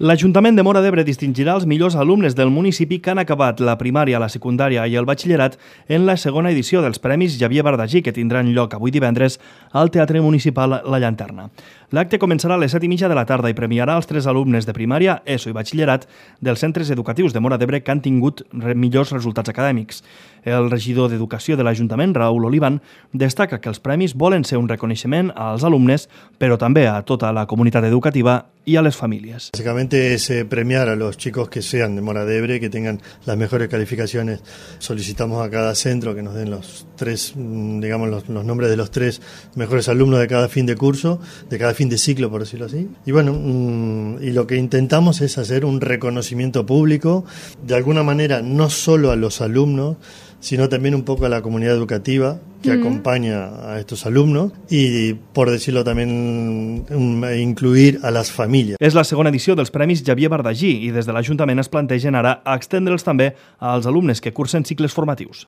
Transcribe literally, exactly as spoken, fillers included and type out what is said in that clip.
L'Ajuntament de Móra d'Ebre distingirà els millors alumnes del municipi que han acabat la primària, la secundària i el batxillerat en la segona edició dels Premis Xavier Bardagí, que tindran lloc avui divendres al Teatre Municipal La Llanterna. L'acte començarà a les set i mitja de la tarda i premiarà els tres alumnes de primària, ESO i batxillerat dels centres educatius de Móra d'Ebre que han tingut millors resultats acadèmics. El regidor d'Educació de l'Ajuntament, Raúl Olivan, destaca que els premis volen ser un reconeixement als alumnes, però també a tota la comunitat educativa y a las familias. Básicamente es eh, premiar a los chicos que sean de Móra d'Ebre, que tengan las mejores calificaciones. Solicitamos a cada centro que nos den los tres, digamos, los, los nombres de los tres mejores alumnos de cada fin de curso, de cada fin de ciclo, por decirlo así. Y bueno, mmm, y lo que intentamos es hacer un reconocimiento público, de alguna manera, no solo a los alumnos, sino también un poco a la comunidad educativa que mm. acompaña a estos alumnos y, por decirlo también, um, incluir a las famílies. És la segona edició dels Premis Xavier Bardagí i des de l'Ajuntament es plantegen ara extendre'ls també als alumnes que cursen cicles formatius.